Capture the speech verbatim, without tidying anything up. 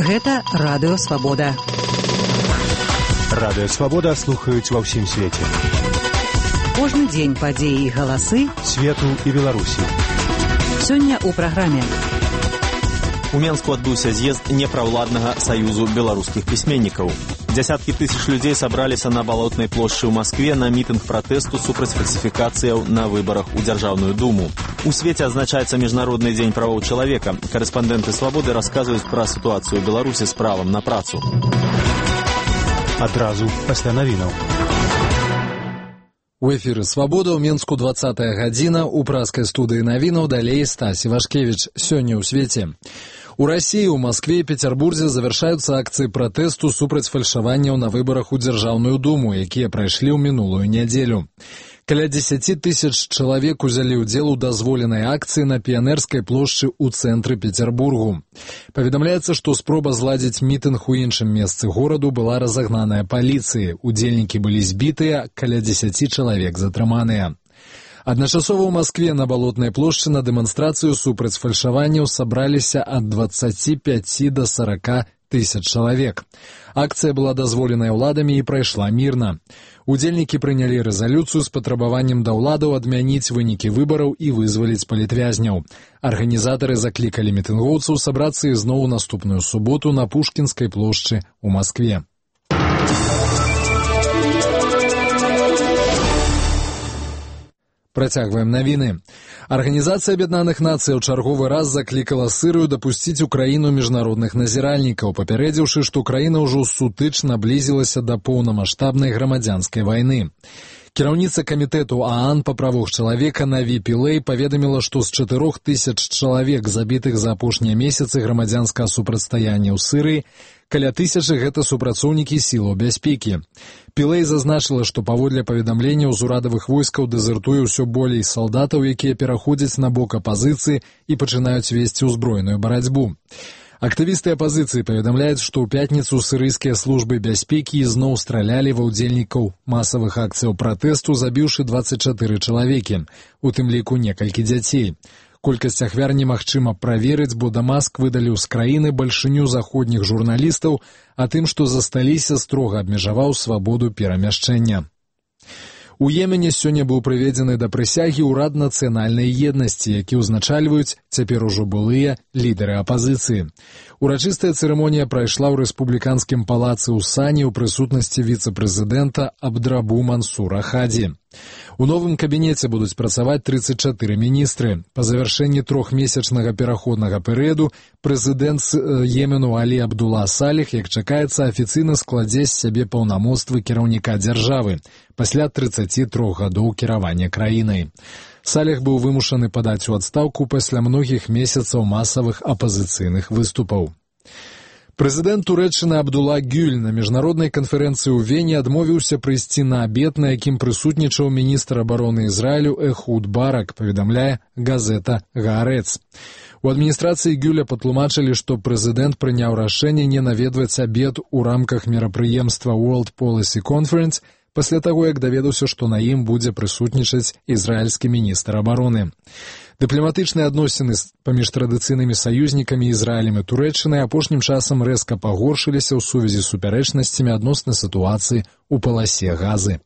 Гэта Радыё Свабода. Радыё Свабода слухаюць ва ўсім свеце. Кожны дзень падзеі і галасы свету і Беларусі. Сёння ў праграме. У Менску адбыўся з'езд непраўладнага саюзу беларускіх пісьменнікаў. Дзясяткі тысяч людзей сабраліся на Балотнай плошчы ў Маскве на мітынг пратэсту супраць фальсіфікацыяў на выбарах у Дзяржаўную думу. У свеце адзначаецца Міжнародны дзень правоў чалавека. Карэспандэнты Свабоды расказваюць пра сітуацыю ў Беларусі з правам на працу. Адразу пасля навінаў. У эфіры «Свабода» ў Менску двадцатая гадзіна, у праскай студыі навінаў далей Стась Івашкевіч. Сёння ў свеце. У России, у Москве и Петербурге завершаются акции протесту супраць фальшаванняў на выборах у Дзяржаўную думу, якія прайшлі ў мінулую нядзелю. Каля дзесяці тысяч чалавек узялі ўдзел у дазволенай акцыі на Піянерскай плошчы ў цэнтры Петербургу. Паведамляецца, што спроба зладзіць мітынг у іншым месцы гораду была разагнаная паліцыяй. Удзельнікі былі збітыя, каля дзесяці чалавек затрыманыя. Адначасова ў Маскве на Балотнай плошчы на дэманстрацыю супраць фальшаванняў сабраліся ад дваццаці пяці да сарака тысяч чалавек. Акцыя была дазволеная ўладамі і прайшла мірна. Удзельнікі прынялі рэзалюцыю з патрабаваннем да ўладаў адмяніць вынікі выбараў і вызваліць палітвязняў. Арганізатары заклікалі мітынгоўцаў сабрацца ізноў у наступную суботу на Пушкінскай плошчы ў Маскве. Працягваем навіны. Арганізацыя Аб'яднаных Нацый ў чарговы раз заклікала Сырыю дапусціць у краіну міжнародных назіральнікаў, папярэдзіўшы, што краіна ўжо сутыч наблізілася да поўнамаштабнай грамадзянскай вайны. Кіраўніца камітэту ААН па правах чалавека Наві Пілэй паведаміла, што з чатырох тысяч чалавек, забітых за апошнія месяцы грамадзянскага супрацьстаяння ў Сырыі, каля тысячы гэта супрацоўнікі сілаў бяспекі. Пілэй зазначыла, што паводле паведамленняў з урадавых войскаў дэзертуе ўсё болей салдатаў, якія пераходзяць на бок апазіцыі і пачынаюць весці ўзброеную барацьбу. Актывісты апазіцыі паведамляюць, што ў пятніцу сырыйскія службы бяспекі ізноў стралялі ва ўдзельнікаў масавых акцыяў пратэсту, забіўшы дваццаць чатыры чалавекі, у тым ліку некалькі дзяцей. Колькасць ахвяр немагчыма праверыць, бо Дамаск выдаліў з краіны бальшыню заходніх журналістаў, а тым, што засталіся, строга абмежаваў свабоду перамяшчэння. У Йемене сёння быў прыведзены да прысягі ўрад нацыянальнай еднасці, які ўзначальваюць цяпер ужо былыя лідары апазіцыі. Урачыстая цырымонія прайшла ў рэспубліканскім палацы ў Сані ў прысутнасці віцэ-прэзідэнта Абдрабу Мансура Хадзі. У новым кабінеце будуць працаваць трыццаць чатыры міністры. Па завяршэнні трохмесячнага пераходнага перыяду прэзідэнт Йемену Алі Абдула Саліх, як чакаецца, афіцыйна складзе з сябе паўнамоцтвы кіраўніка дзяржавы пасля трыццаці трох гадоў кіравання краінай. Саліх быў вымушаны падаць у адстаўку пасля многіх месяцаў масавых апазіцыйных выступаў. Прэзідэнт Турэччыны Абдула Гюль на міжнароднай канферэнцыі ў Вене адмовіўся прыйсці на абед, на якім прысутнічаў міністр абароны Ізраілю Эхуд Барак, паведамляе газета «Гаарэц». У адміністрацыі Гюля патлумачылі, што прэзідэнт прыняў рашэнне не наведваць абед у рамках мерапрыемства World Policy Conference пасля таго, як даведаўся, што на ім будзе прысутнічаць ізраільскі міністр абароны. Дыпламатычныя адносіны паміж традыцыйнымі саюзнікамі Ізраілем і Турэччынай апошнім часам рэзка пагоршыліся ў сувязі з супярэчнасцямі адносна сітуацыі ў паласе Газы.